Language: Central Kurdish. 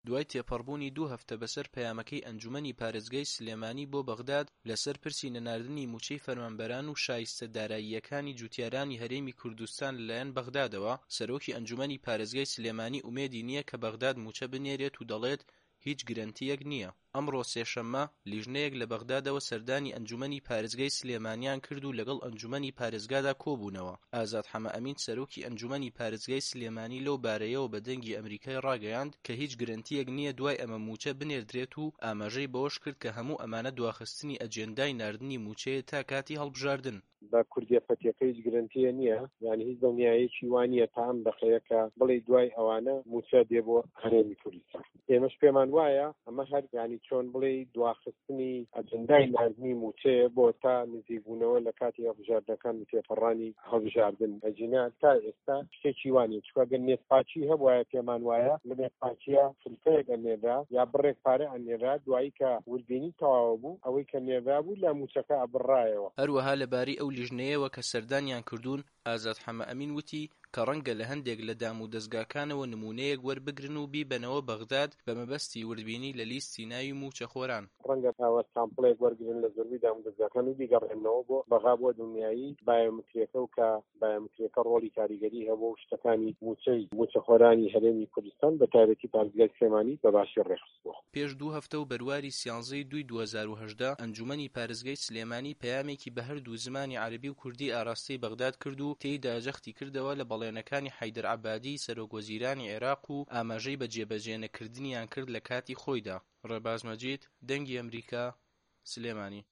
دوای تێپەڕبوونی دوو هەفتە بەسەر پەیامەکەی ئەنجومەنی پارێزگای سلێمانی بۆ بەغداد لەسەر پرسی نەناردنی مووچەی فەرمانبەران و شایستە داراییەکانی جوتیارانی هەرێمی کوردستان لەلایەن بەغدادەوە، سەرۆکی ئەنجومەنی پارێزگای سلێمانی ئومێدی نییە کە بەغداد مووچە بنێرێت و دەڵێت هیچ گرەنتییەک نییە. ئەمڕۆ سێشەممە، لیژنەیەک لە بەغدادەوە سەردانی ئەنجومەنی پارێزگای سلێمانیان کرد و لەگەڵ ئەنجومەنی پارێزگادا کۆبوونەوە. ئازاد حەمەئەمین سەرۆکی ئەنجومەنی پارێزگای سلێمانی لەو بارەیەوە بە دەنگی ئەمریکای ڕاگەیاند کە هیچ گرەنتییەک نییە دوای ئەمە مووچە بنێردرێت و ئاماژەی بەوەشکرد کە هەموو ئەمانە دواخستنی ئەجێندای ناردنی مووچەیە تا کاتی هەڵبژاردن. بە کوردیە پەتیەکە هیچ گرەنتیە نیە یانی هیچ دڵنیایەکی وا نیە تا ئەم دەقەیە کە بڵێی دوای ئەوانە موچە دێ بۆ هەرێمی کوردستان ئێمەش پێمان وایە ئەمە هەر یانی چۆن بڵێی دواخستنی ئەجندای ناردنی موچەیە بۆ تا نزیک بوونەوە لە کاتی هەڵبژاردنەکان و تێپەڕانی هەڵبژاردن ئەگینا تا ئێستا شتێکی وا نیە چونکە گەر نێتپاکی هەبوایە پێمان وایە لە نێتپاکیە فلفەیەک ئەنێررا یا بڕێک پارە ئەنێررا دوایی کە وردبینی تەواوە بوو ئەوەی کە نێررابوو لە موچەکە ئەبڕایەوە. هەروەها لەبارەی ئەو لیژنەیەوە کە سەردانیان کردوون، ئازاد حەمەئەمین وتی کە ڕەنگە لە هەندێک لە دام و دەزگاکانەوە نموونەیەک وەربگرن و بیبەنەوە بەغداد بە مەبەستی وردبینی لە لیستی ناوی مووچەخۆران. ڕەنگە ئەوە سامپڵێک وەرگرن لە زۆربەی دامودەزگاکان و بیگەڕێننەوە بۆ بەغا بۆ دڵنیایی بایۆمتریەکە و کە بایۆمتریەکە ڕۆڵی کاریگەری هەبووە و شتەکانی مووچەی مووچەخۆرانی هەرێمی کوردستان بە تایبەتی پارێزگای سلێمانی بە باشی ڕێکخستووە. پێش دوو هەفتە و بەرواری سیانزەی دووی 2018، ئەنجوومەنی پارێزگای سلێمانی پەیامێکی بە هەردوو زمانی عەرەبی و کوردی ئاراستەی بەغداد کرد و تێیدا جەختی کردەوە لە بەڵێنەکانی حەیدەر عەبادی سەرۆک وەزیرانی عێراق و ئاماژەی بە جێبەجێنەکردنیان کرد لە کاتی خۆیدا. ڕێباز مەجید، دەنگی ئەمریکا، سلێمانی.